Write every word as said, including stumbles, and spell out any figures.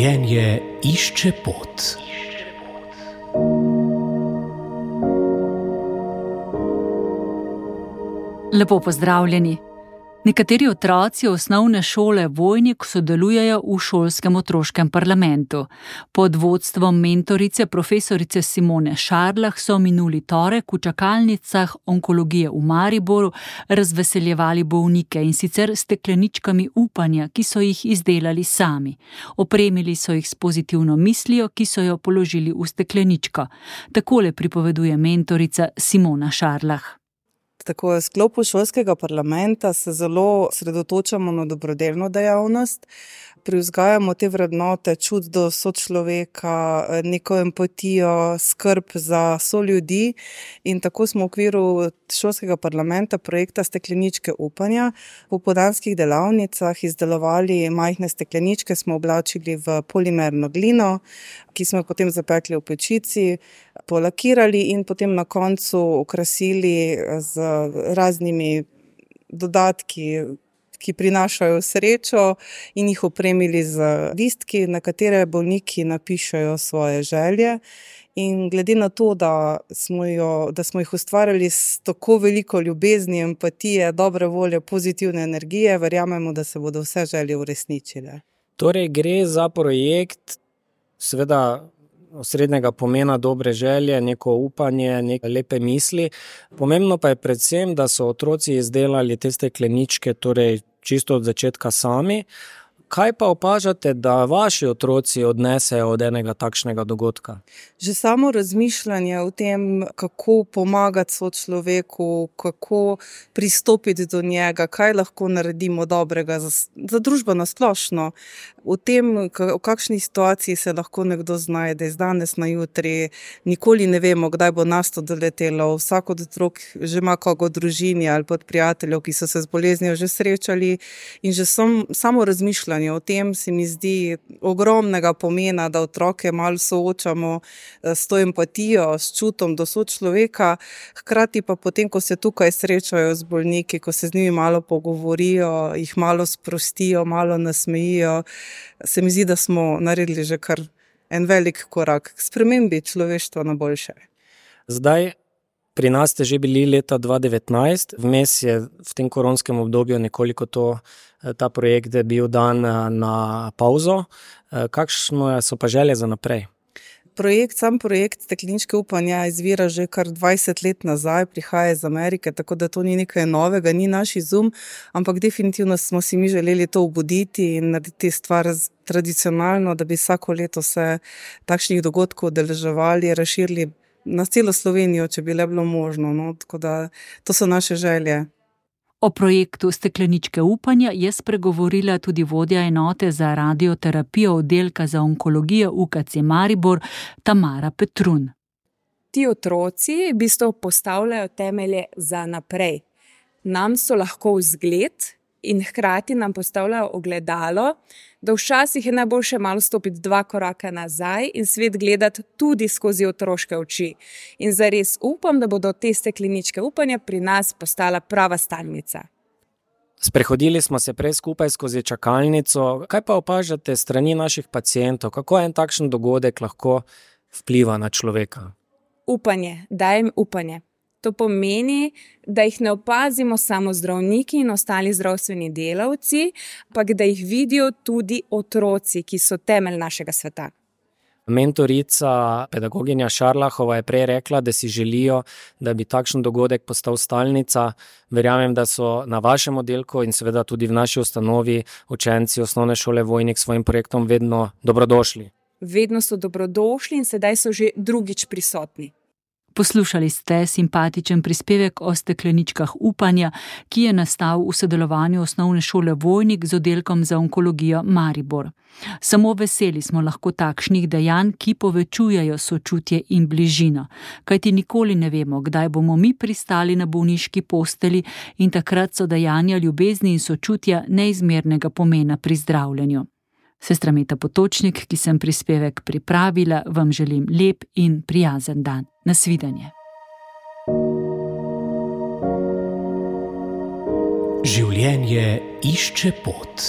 Življenje išče pot. Lepo pozdravljeni. Nekateri otroci osnovne šole Vojnik sodelujejo v šolskem otroškem parlamentu. Pod vodstvom mentorice profesorice Simone Šarlah so minuli torek v čakalnicah onkologije v Mariboru razveseljevali bolnike, in sicer s stekleničkami upanja, ki so jih izdelali sami. Opremili so jih s pozitivno mislijo, ki so jo položili v stekleničko. Takole pripoveduje mentorica Simona Šarlah. Tako v sklopu šolskega parlamenta se zelo sredotočamo na dobrodelno dejavnost, privzgajamo te vrednote, čut do sočloveka, neko empatijo, skrb za soljudi, in tako smo v okviru šolskega parlamenta projekta Stekleničke upanja v popoldanskih delavnicah izdelovali majhne stekleničke, smo oblačili v polimerno glino, ki smo jo potem zapekli v pečici, polakirali in potem na koncu okrasili z raznimi dodatki, ki prinašajo srečo, in jih opremili z listki, na katere bolniki napišejo svoje želje. In glede na to, da smo, jo, da smo jih ustvarjali s tako veliko ljubezni, empatije, dobre volje, pozitivne energije, verjamemo, da se bodo vse želje uresničile. Torej gre za projekt, seveda osrednjega pomena dobre želje, neko upanje, neke lepe misli. Pomembno pa je predvsem, da so otroci izdelali te stekleničke, torej čisto od začetka sami. Kaj pa opažate, da vaši otroci odnesejo od enega takšnega dogodka? Že samo razmišljanje o tem, kako pomagati sočloveku, kako pristopiti do njega, kaj lahko naredimo dobrega za, za družbo na splošno. O tem, v kakšni situaciji se lahko nekdo znajde iz danes na jutri, nikoli ne vemo, kdaj bo nas to doletelo. Vsak od otrok že ima koga v družini ali pod prijateljev, ki so se z boleznijo že srečali, in že sam, samo razmišljanje o tem se mi zdi ogromnega pomena, da otroke malo soočamo s to empatijo, s čutom do sočloveka, hkrati pa potem, ko se tukaj srečajo z bolniki, ko se z njimi malo pogovorijo, jih malo sprostijo, malo nasmejijo, se mi zdi, da smo naredili že kar en velik korak k spremembi človeštva na boljše. Zdaj, pri nas ste že bili leta dva devetnajst, vmes je v tem koronskem obdobju nekoliko to, ta projekt je bil dan na pauzo. Kakšno so pa želje za naprej? Projekt, sam projekt Stekleničke upanja izvira že kar dvajset let nazaj, prihaja iz Amerike, tako da to ni nekaj novega, ni naš izum, ampak definitivno smo si mi želeli to obuditi in narediti stvar tradicionalno, da bi vsako leto se takšnih dogodkov udeleževali, razširili na celo Slovenijo, če bi le bilo možno. No? Tako da to so naše želje. O projektu Stekleničke upanja je spregovorila tudi vodja enote za radioterapijo oddelka za onkologijo U K C Maribor, Tamara Petrun. Ti otroci v bistvu postavljajo temelje za naprej. Nam so lahko vzgled in hkrati nam postavljajo ogledalo, da včasih je najboljše malo stopiti dva koraka nazaj in svet gledati tudi skozi otroške oči. In zares upam, da bodo te stekleničke upanja pri nas postala prava stalnica. Sprehodili smo se prej skupaj skozi čakalnico. Kaj pa opažate strani naših pacientov? Kako en takšen dogodek lahko vpliva na človeka? Upanje, daj jim upanje. To pomeni, da jih ne opazimo samo zdravniki in ostali zdravstveni delavci, ampak da jih vidijo tudi otroci, ki so temelj našega sveta. Mentorica, pedagoginja Šarlahova je prej rekla, da si želijo, da bi takšen dogodek postal stalnica. Verjamem, da so na vašem oddelku in seveda tudi v naši ustanovi učenci osnovne šole Vojnik s svojim projektom vedno dobrodošli. Vedno so dobrodošli in sedaj so že drugič prisotni. Poslušali ste simpatičen prispevek o stekleničkah upanja, ki je nastal v sodelovanju osnovne šole Vojnik z oddelkom za onkologijo Maribor. Samo veseli smo lahko takšnih dejanj, ki povečujejo sočutje in bližino, kajti nikoli ne vemo, kdaj bomo mi pristali na bolniški posteli, in takrat so dejanja ljubezni in sočutja neizmernega pomena pri zdravljenju. Sestra Meta Potočnik, ki sem prispevek pripravila, vam želim lep in prijazen dan. Nasvidenje. Življenje išče pot.